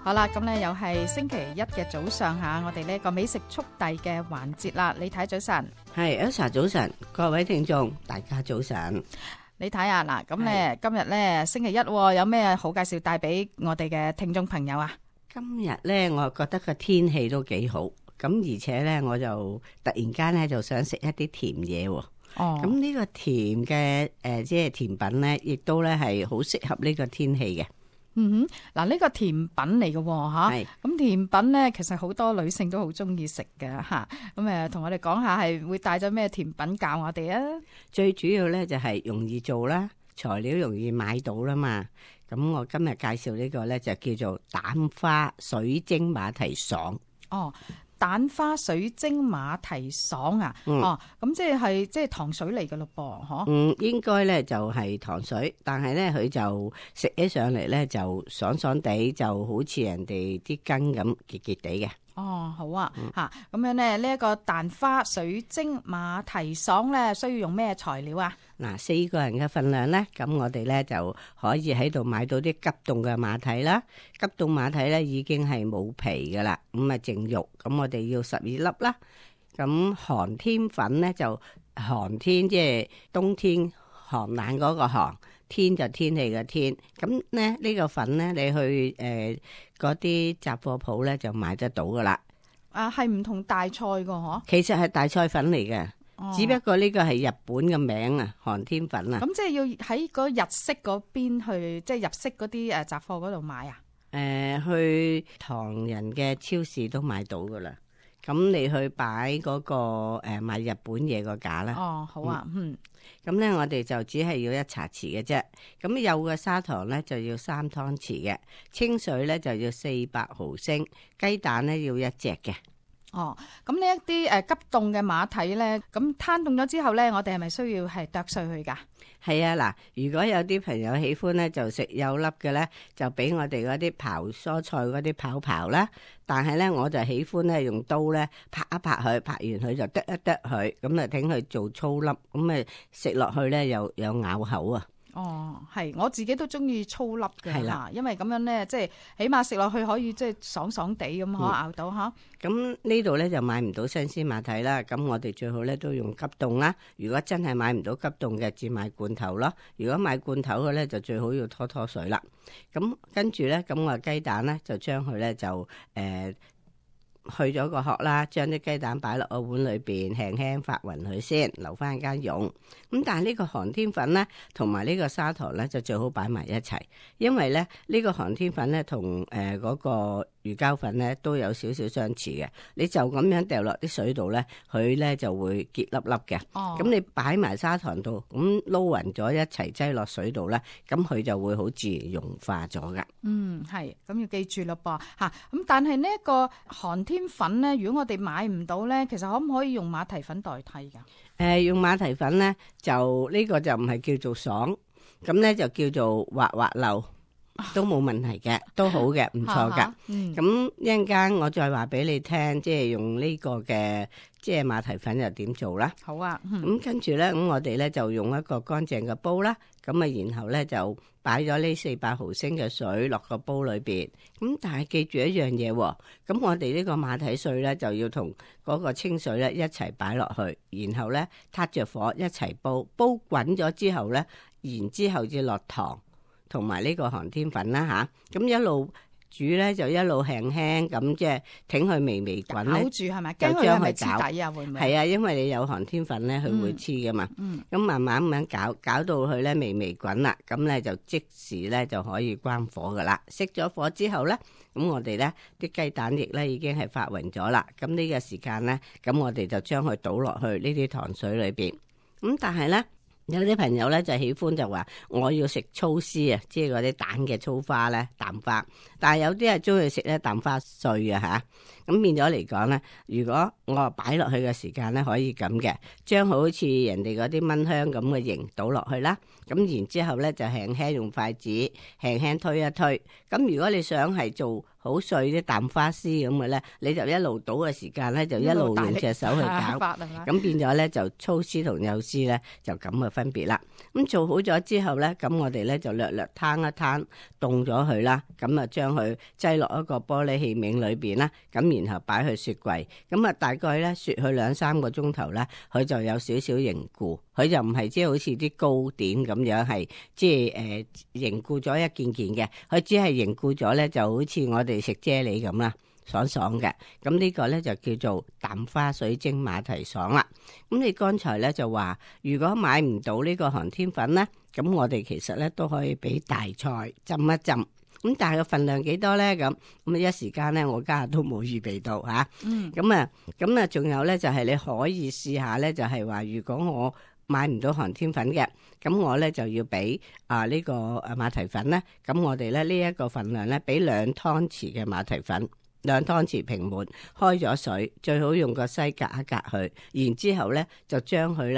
好啦，咁咧又係星期一嘅早上吓，我哋呢個美食速遞嘅環節啦。李太早晨，係 Elsa 早晨，各位聽眾大家早晨。李太啊，嗱，咁咧今日咧星期一，有咩好介紹帶俾我哋嘅聽眾朋友啊？今日咧，我覺得個天氣都幾好，咁而且咧，我就突然間咧就想食一啲甜嘢。哦，咁呢個甜嘅即係甜品咧，亦都咧係好適合呢個天氣嘅。嗯哼，嗱，呢個甜品嚟嘅吓，咁甜品咧其實好多女性都好中意食嘅吓，咁同我哋講下係會帶咗咩甜品教我哋啊？最主要咧就係容易做啦，材料容易買到啦嘛。咁我今日介紹呢個咧就叫做蛋花水晶馬蹄爽。哦。蛋花水晶馬蹄爽啊！哦，咁即係糖水嚟嘅咯噃，嗬？應該咧就係糖水，但係咧佢就食起上嚟咧就爽爽地，就好似人哋啲羹咁結結地嘅。哦，好啊，吓咁樣咧，呢一個蛋花水晶馬蹄爽咧，需要用咩材料啊？嗱，4個人嘅份量咧，咁我哋咧就可以喺度買到啲急凍嘅馬蹄啦。急凍馬蹄咧已經係冇皮噶啦，咁啊淨肉，咁我哋要12粒啦。咁寒天粉咧就寒天，即係冬天寒冷嗰個寒，天就天氣嘅天。咁咧呢個粉咧，你去嗰啲雜貨鋪咧就買得到噶啦。啊，係唔同大菜噶嗬？其實係大菜粉嚟嘅。只不過呢個係日本嘅名啊，寒天粉啊。咁即係要喺個日式嗰邊去，即係日式嗰啲雜貨嗰度買啊？去唐人嘅超市都買到噶啦。咁你去擺嗰個賣日本嘢個架啦。哦，好啊，咁咧我哋就只係要1茶匙嘅啫。咁有嘅砂糖咧就要3湯匙嘅，清水咧就要400毫升，雞蛋咧要1隻嘅。哦，咁呢一啲急凍嘅馬蹄咧，咁攤凍咗之後咧，我哋係咪需要係剁碎佢噶？係啊，嗱，如果有啲朋友喜歡咧，就食有粒嘅咧，就俾我哋嗰啲刨蔬菜嗰啲刨啦。但係咧，我就喜歡咧用刀咧拍一拍佢，拍完佢就剁一剁佢，咁啊等佢做粗粒，咁啊食落去咧又有咬口啊。哦，係，我自己都中意粗粒嘅吓，因為咁樣咧，即係起碼食落去可以即係爽爽地咁可咬到吓。咁呢度咧就買唔到新鮮馬蹄啦，咁我哋最好咧都用急凍啦。如果真係買唔到急凍嘅，只買罐頭咯。如果買罐頭嘅咧，就最好要拖水啦。咁跟住咧，咁我雞蛋咧就將佢咧就去咗個殼啦，將啲雞蛋擺落個碗裏邊，輕輕發勻佢先，留翻間溶。咁但係呢個寒天粉咧，同埋呢個砂糖咧，就最好擺埋一齊，因為咧呢個寒天粉咧同嗰個魚膠粉咧都有少少相似嘅。你就咁樣掉落啲水度咧，佢咧就會結粒粒嘅。哦，咁你擺埋砂糖度，咁撈勻咗一齊擠落水度咧，咁佢就會好自然融化咗噶。係，咁要記住咯噃吓。咁但係呢一個寒天粉咧，如果我哋買唔到咧，其實可唔可以用馬蹄粉代替噶？用馬蹄粉咧，就呢個就唔係叫做爽，咁咧就叫做滑滑溜，都冇問題嘅，都好嘅，唔錯噶。咁一陣間我再話俾你聽，即係用呢個嘅即係馬蹄粉又點做啦。好啊。咁跟住咧，咁我哋咧就用一個乾淨嘅煲啦，咁啊然後咧就擺咗呢400毫升嘅水落個煲裏邊。咁但係記住一樣嘢，咁我哋呢個馬蹄碎咧就要同嗰個清水咧一齊擺落去，然後咧撻着火一齊煲，煲滾咗之後咧，然之後至落糖同埋呢個寒天粉啦吓，咁一路煮咧就一路輕輕咁即係挺佢微微滾咧，攪住係咪？驚佢係咪黐底啊？會唔會？係啊，因為你有寒天粉咧，佢會黐噶嘛。咁慢慢咁樣攪到佢咧微微滾啦，咁咧就即時咧就可以關火噶啦。熄咗火之後咧，咁我哋咧啲雞蛋液咧已經係發勻咗啦。咁呢個時間咧，咁我哋就將佢倒落去呢啲糖水裏邊。咁但係咧，有啲朋友咧就喜歡就話我要食粗絲啊，即係嗰啲蛋嘅粗花咧，蛋花。但係有啲係中意食咧蛋花碎啊吓。咁變咗嚟講咧，如果我擺落去嘅時間咧，可以咁嘅，將好似人哋嗰啲蚊香咁嘅形倒落去啦。咁然之後咧就輕輕用筷子輕輕推一推。咁如果你想係做好碎啲淡花絲咁嘅咧，你就一路倒嘅時間咧，就一路用隻手去攪，咁變咗咧就粗絲同幼絲咧就咁嘅分別啦。咁做好咗之後咧，咁我哋咧就略略攤一攤，凍咗佢啦。咁啊將佢擠落一個玻璃器皿裏邊啦，咁然後擺去雪櫃。咁啊大概咧雪佢2-3個鐘頭咧，佢就有少少凝固。佢就唔係即係好似啲糕點咁樣係即係凝固咗一件件嘅，佢只係凝固咗咧就好似我哋食啫喱咁啦，爽爽嘅。咁呢個咧就叫做淡花水晶馬蹄爽啦。咁你剛才咧就話，如果買唔到呢個寒天粉咧，咁我哋其實咧都可以俾大菜浸一浸。咁但係個份量幾多咧？咁一時間咧，我家下都冇預備到嚇。咁啊，仲有咧就係你可以試下咧，就係話如果我買唔到寒天粉嘅，咁我咧就要俾呢個馬蹄粉咧。咁我哋咧呢一個份量咧，俾2湯匙嘅馬蹄粉，2湯匙平滿，開咗水，最好用個篩隔一隔佢，然之後咧就將佢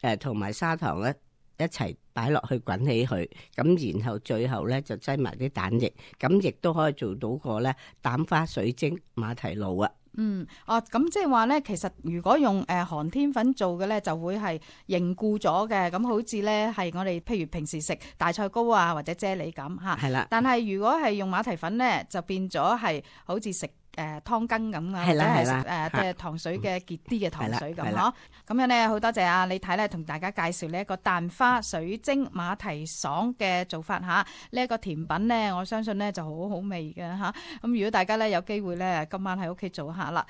咧同埋砂糖咧一齊擺落去滾起佢，咁然後最後咧就擠埋啲蛋液，咁亦都可以做到個咧蛋花水晶馬蹄露啊。咁即係話咧，其實如果用寒天粉做嘅咧，就會係凝固咗嘅，咁好似咧係我哋譬如平時食大菜糕啊或者啫喱咁嚇。係啦。但係如果係用馬蹄粉咧，就變咗係好似食湯羹咁啊，或者係食即係糖水嘅結啲嘅糖水咁嗬。咁樣咧好多謝阿李太咧同大家介紹呢一個蛋花水晶馬蹄爽嘅做法嚇。呢一個甜品咧，我相信咧就好好味嘅嚇。咁如果大家咧有機會咧，今晚喺屋企做下啦。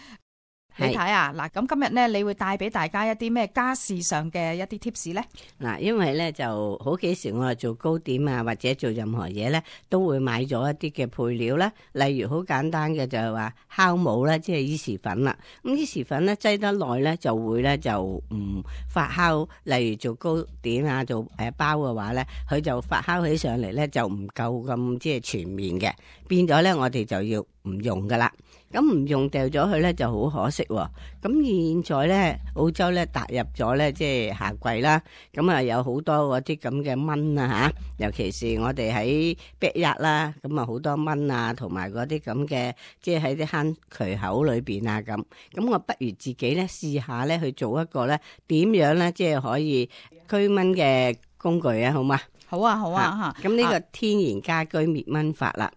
你睇啊，嗱，咁今日咧，你會帶俾大家一啲咩家事上嘅一啲 tips 咧？嗱，因為咧就好幾時我哋做糕點啊，或者做任何嘢咧，都會買咗一啲嘅配料啦。例如好簡單嘅就係話酵母啦，即係伊士粉啦。咁伊士粉咧擠得耐咧，就會咧就唔發酵。例如做糕點啊，做包嘅話咧，佢就發酵起上嚟咧就唔夠咁即係全面嘅，變咗咧我哋就要唔用噶啦。咁唔用掉咗佢咧就好可惜喎。咁現在咧澳洲咧踏入咗咧即係夏季啦，咁啊有好多嗰啲咁嘅蚊啊嚇，尤其是我哋喺 backyard 啦，咁啊好多蚊啊，同埋嗰啲咁嘅即係喺啲坑渠口裏邊啊咁。咁我不如自己咧試下咧去做一個咧點樣咧即係可以驅蚊嘅工具啊，好嗎？好啊好啊嚇。咁呢個天然家居滅蚊法啦。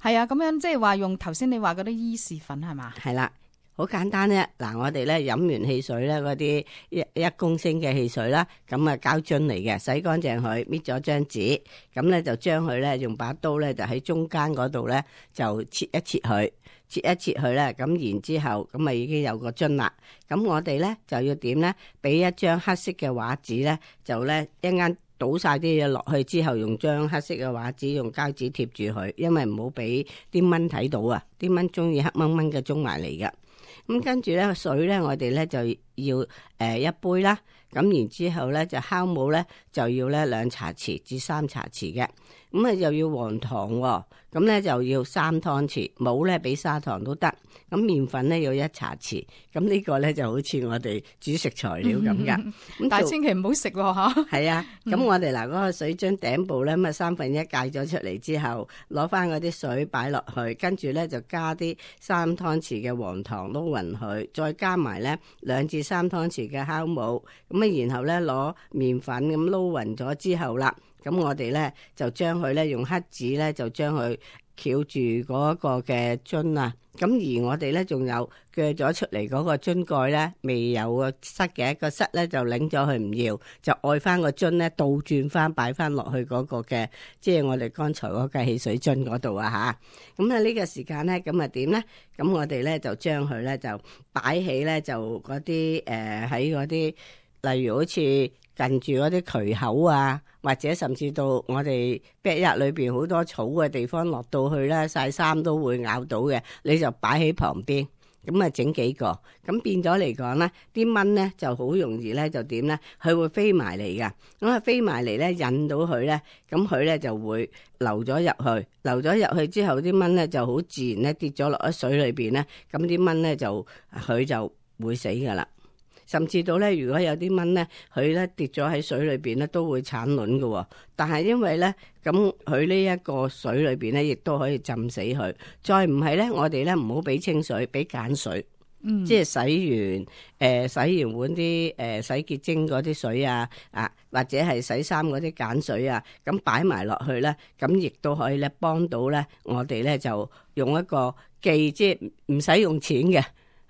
係啊，咁樣即係話用頭先你話嗰啲伊士粉係嘛？係啦，好簡單啫。嗱，我哋咧飲完汽水咧，嗰啲一公升嘅汽水啦，咁啊膠樽嚟嘅，洗乾淨佢，搣咗張紙，咁咧就將佢咧用把刀咧就喺中間嗰度咧就切一切佢，切一切佢咧，咁然之後咁啊已經有個樽啦。咁我哋咧就要點咧？俾一張黑色嘅畫紙咧，就咧一間。倒晒啲嘢落去之後，用張黑色嘅畫紙用膠紙貼住佢，因為唔好俾啲蚊睇到啊！啲蚊中意黑蚊蚊嘅中埋嚟㗎。咁跟住咧水咧，我哋咧就要一杯啦。咁然之後咧就酵母咧就要咧2茶匙至3茶匙嘅。咁啊又要黃糖喎，咁咧就要3湯匙，冇咧俾砂糖都得。咁麵粉咧要1茶匙，咁呢個咧就好似我哋煮食材料咁噶。但係千祈唔好食喎嚇。係啊，咁我哋嗱嗰個水樽頂部咧，咁啊1/3戒咗出嚟之後，攞翻嗰啲水擺落去，跟住咧就加啲3湯匙嘅黃糖撈勻佢，再加埋咧2至3湯匙嘅酵母，咁啊然後咧攞麵粉咁撈勻咗之後啦，咁我哋咧就將佢咧用黑紙咧就將佢翹住嗰個嘅樽啊，咁而我哋咧仲有鋸咗出嚟嗰個樽蓋咧未有個塞嘅，個塞咧就擰咗佢唔要，就愛翻個樽咧倒轉翻擺翻落去嗰個嘅，即係我哋剛才嗰個汽水樽嗰度啊吓。咁啊呢個時間咧咁啊點咧？咁我哋咧就將佢咧就擺起咧就嗰啲喺嗰啲，例如好似近住嗰啲渠口啊，或者甚至到我哋 backyard 裏邊好多草嘅地方，落到去咧曬衫都會咬到嘅，你就擺喺旁邊，咁啊整幾個，咁變咗嚟講咧，啲蚊咧就好容易咧就點咧，佢會飛埋嚟噶，咁啊飛埋嚟咧引到佢咧，咁佢咧就會流咗入去，流咗入去之後，啲蚊咧就好自然咧跌咗落喺水裏邊咧，咁啲蚊咧就佢就會死噶啦。甚至到咧，如果有啲蚊咧，佢咧跌咗喺水裏邊咧，都會產卵嘅喎。但係因為咧，咁佢呢一個水裏邊咧，亦都可以浸死佢。再唔係咧，我哋咧唔好俾清水，俾鹼水。即係洗完碗啲洗潔精嗰啲水啊，或者係洗衫嗰啲鹼水啊，咁擺埋落去咧，咁亦都可以咧幫到咧我哋咧就用一個即係唔使用錢嘅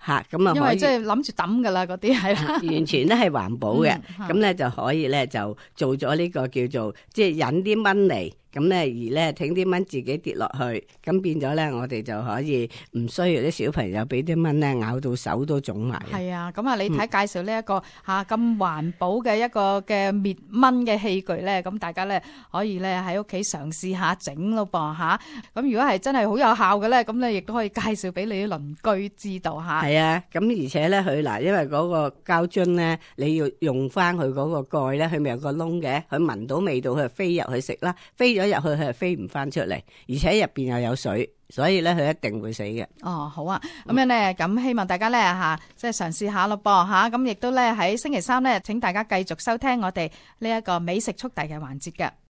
嚇，咁啊因為即係諗住抌噶啦嗰啲係啦，完全咧係環保嘅，咁咧就可以咧就做咗呢個叫做即係引啲蚊嚟。咁咧，而咧，挺啲蚊自己跌落去，咁變咗咧，我哋就可以唔需要啲小朋友俾啲蚊咧咬到手都腫埋。係啊，咁啊，你睇介紹呢一個咁環保嘅一個嘅滅蚊嘅器具咧，咁大家咧可以咧喺屋企嘗試下整咯噃嚇。咁如果係真係好有效嘅咧，咁你亦都可以介紹俾你啲鄰居知道嚇。係啊，咁而且咧佢嗱，因為嗰個膠樽咧，你要用翻佢嗰個蓋咧，佢咪有個窿嘅，佢聞到味道佢就飛入去食啦，飛咗入去佢係飛唔翻出嚟，而且入邊又有水，所以咧佢一定會死嘅。哦，好啊，咁樣咧，咁希望大家咧即係嘗試下咯噃嚇，咁亦都咧喺星期三咧，請大家繼續收聽我哋呢一個美食速遞嘅環節嘅。